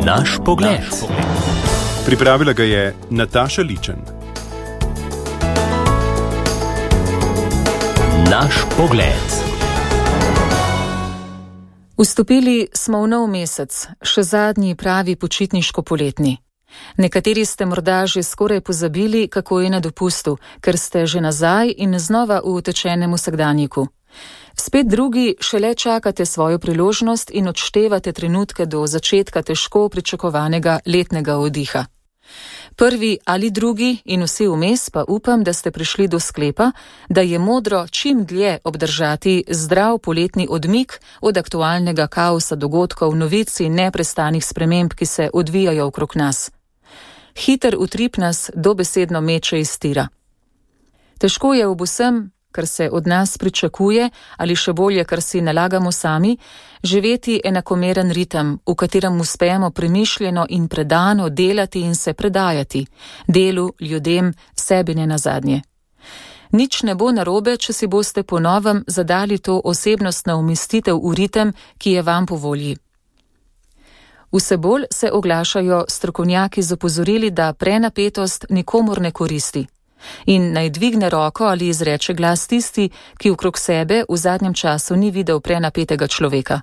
Naš pogled. Pripravila ga je Nataša Ličen. Naš pogled. Vstopili smo v nov mesec, še zadnji pravi počitniško-poletni. Nekateri ste morda že skoraj pozabili, kako je na dopustu, ker ste že nazaj in znova v utečenem vsakdanjiku. Spet drugi šele čakate svojo priložnost in odštevate trenutke do začetka težko pričakovanega letnega oddiha. Prvi ali drugi in vsi vmes pa upam, da ste prišli do sklepa, da je modro čim dlje obdržati zdrav poletni odmik od aktualnega kaosa dogodkov, novic in neprestanih sprememb, ki se odvijajo okrog nas. Hiter utrip nas dobesedno meče iz tira. Težko je ob vsem, kar se od nas pričakuje, ali še bolje, kar si nalagamo sami, živeti enakomeren ritem, v katerem uspemo premišljeno in predano delati in se predajati, delu, ljudem, sebi ne nazadnje. Nič ne bo narobe, če si boste po novem zadali to osebnostno umestitev v ritem, ki je vam po volji. Vse bolj se oglašajo strokovnjaki z opozorili, da prenapetost nikomur ne koristi. In naj dvigne roko ali izreče glas tisti, ki okrog sebe v zadnjem času ni videl prenapetega človeka.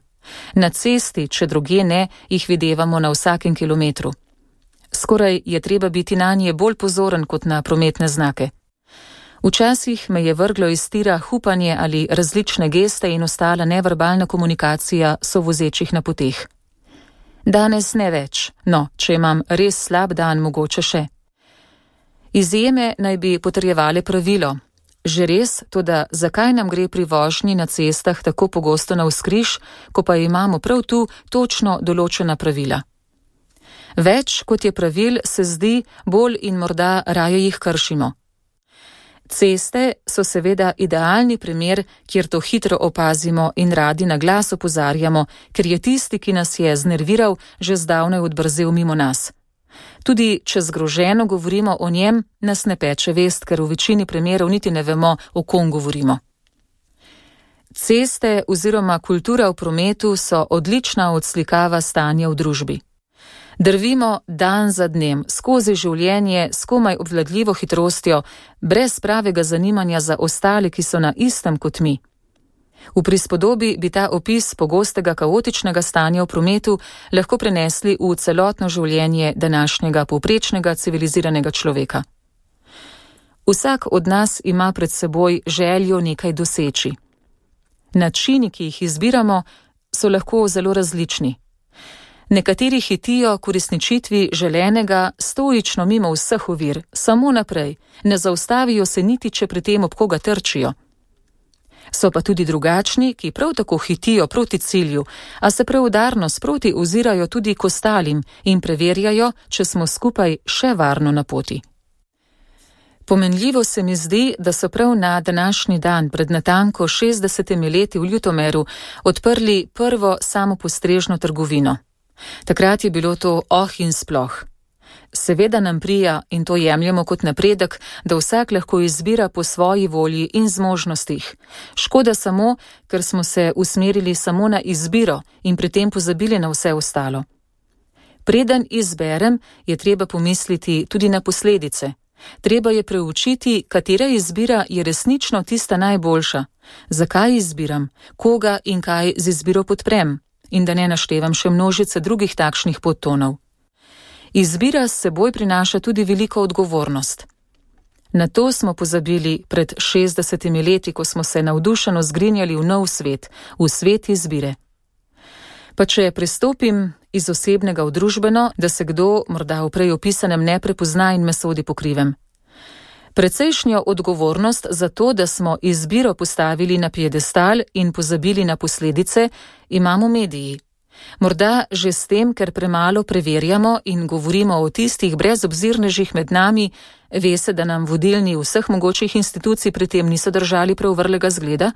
Na cesti, če drugje ne, jih videvamo na vsakem kilometru. Skoraj je treba biti nanje bolj pozoren kot na prometne znake. Včasih me je vrglo iz tira hupanje ali različne geste in ostala neverbalna komunikacija sovozečih na poteh. Danes ne več, no, če imam res slab dan, mogoče še. Izjeme naj bi potrjevale pravilo. Že res, toda zakaj nam gre pri vožnji na cestah tako pogosto navzkriž, ko pa imamo prav tu točno določena pravila? Več kot je pravil, se zdi, bolj in morda raje jih kršimo. Ceste so seveda idealni primer, kjer to hitro opazimo in radi na glas opozarjamo, ker je tisti, ki nas je znerviral, že zdavnaj odbrzel mimo nas. Tudi če zgroženo govorimo o njem, nas ne peče vest, ker v večini primerov niti ne vemo, o kom govorimo. Ceste oziroma kultura v prometu so odlična odslikava stanja v družbi. Drvimo dan za dnem, skozi življenje s komaj obvladljivo hitrostjo, brez pravega zanimanja za ostale, ki so na istem kot mi. V prispodobi bi ta opis pogostega kaotičnega stanja v prometu lahko prenesli v celotno življenje današnjega povprečnega civiliziranega človeka. Vsak od nas ima pred seboj željo nekaj doseči. Načini, ki jih izbiramo, so lahko zelo različni. Nekateri hitijo k uresničitvi želenega stoično mimo vseh ovir, samo naprej, ne zaustavijo se niti, če pri tem ob koga trčijo. So pa tudi drugačni, ki prav tako hitijo proti cilju, a se preudarno sproti ozirajo tudi k ostalim in preverjajo, če smo skupaj še varno na poti. Pomenljivo se mi zdi, da so prav na današnji dan pred natanko 60 leti v Ljutomeru odprli prvo samopostrežno trgovino. Takrat je bilo to in sploh. Seveda nam prija, in to jemljemo kot napredek, da vsak lahko izbira po svoji volji in zmožnostih. Škoda samo, ker smo se usmerili samo na izbiro in pri tem pozabili na vse ostalo. Preden izberem, je treba pomisliti tudi na posledice. Treba je preučiti, katera izbira je resnično tista najboljša. Zakaj izbiram, koga in kaj z izbiro podprem, in da ne naštevam še množice drugih takšnih podtonov. Izbira s seboj prinaša tudi veliko odgovornost. Na to smo pozabili pred 60 leti, ko smo se navdušeno zgrinjali v nov svet, v svet izbire. Pa če pristopim iz osebnega v družbeno, da se kdo morda v prej opisanem ne prepozna in me sodi po krivem. Precejšnjo odgovornost za to, da smo izbiro postavili na piedestal in pozabili na posledice, imamo mediji. Morda že s tem, ker premalo preverjamo in govorimo o tistih brezobzirnežih med nami, ve se, da nam vodilni vseh mogočih institucij pri tem niso držali prav vrlega zgleda,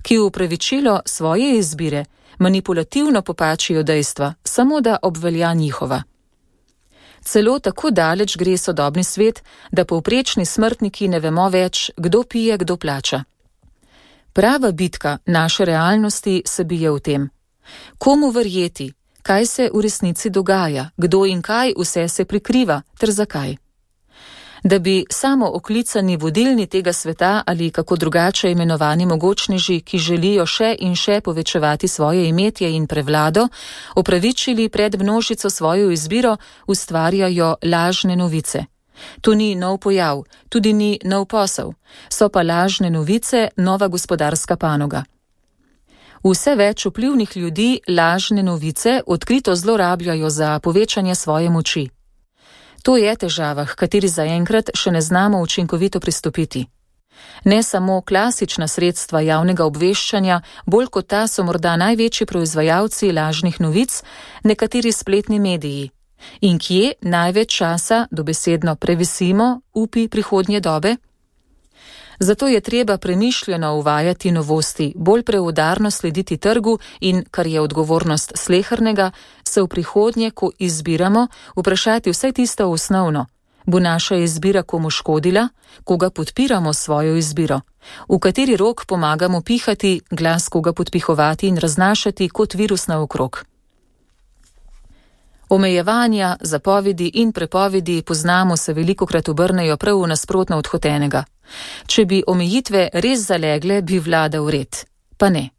ki v upravičilo svoje izbire manipulativno popačijo dejstva, samo da obvelja njihova. Celo tako daleč gre sodobni svet, da povprečni smrtniki ne vemo več, kdo pije, kdo plača. Prava bitka naše realnosti se bije v tem. Komu verjeti, kaj se v resnici dogaja, kdo in kaj vse se prikriva ter zakaj. Da bi samo oklicani vodilni tega sveta ali kako drugače imenovani mogočneži, ki želijo še in še povečevati svoje imetje in prevlado, opravičili pred množico svojo izbiro, ustvarjajo lažne novice. To ni nov pojav, tudi ni nov posel, so pa lažne novice nova gospodarska panoga. Vse več vplivnih ljudi lažne novice odkrito zlorabljajo za povečanje svoje moči. To je težava, h kateri zaenkrat še ne znamo učinkovito pristopiti. Ne samo klasična sredstva javnega obveščanja, bolj kot ta so morda največji proizvajalci lažnih novic, nekateri spletni mediji. In kje največ časa dobesedno previsimo upi prihodnje dobe? Zato je treba premišljeno uvajati novosti, bolj preudarno slediti trgu in, kar je odgovornost slehernega, se v prihodnje, ko izbiramo, vprašati vse tisto osnovno. Bo naša izbira komu škodila, koga podpiramo svojo izbiro, v kateri rok pomagamo pihati, glas koga podpihovati in raznašati kot virus naokrog. Omejevanja, zapovedi in prepovedi poznamo se velikokrat obrnejo prav v nasprotno od hotenega. Če bi omejitve res zalegle, bi vladal red. Pa ne.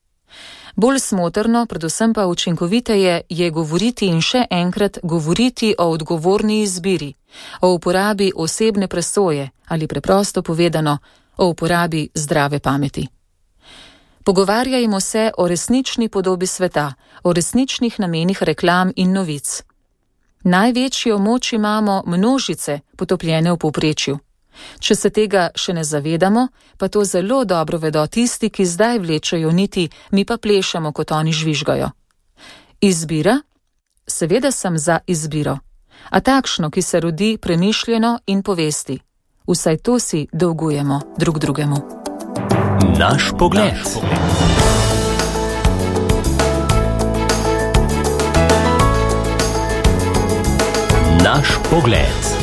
Bolj smotrno, predvsem pa učinkoviteje je govoriti in še enkrat govoriti o odgovorni izbiri, o uporabi osebne presoje ali preprosto povedano, o uporabi zdrave pameti. Pogovarjajmo se o resnični podobi sveta, o resničnih namenih reklam in novic. Največjo moč imamo množice, potopljene v povprečju. Če se tega še ne zavedamo, pa to zelo dobro vedo tisti, ki zdaj vlečejo niti, mi pa plešemo, kot oni žvižgajo. Izbira? Seveda sem za izbiro. A takšno, ki se rodi premišljeno in povesti. Vsaj to si dolgujemo drug drugemu. Naš pogled. Naš pogled.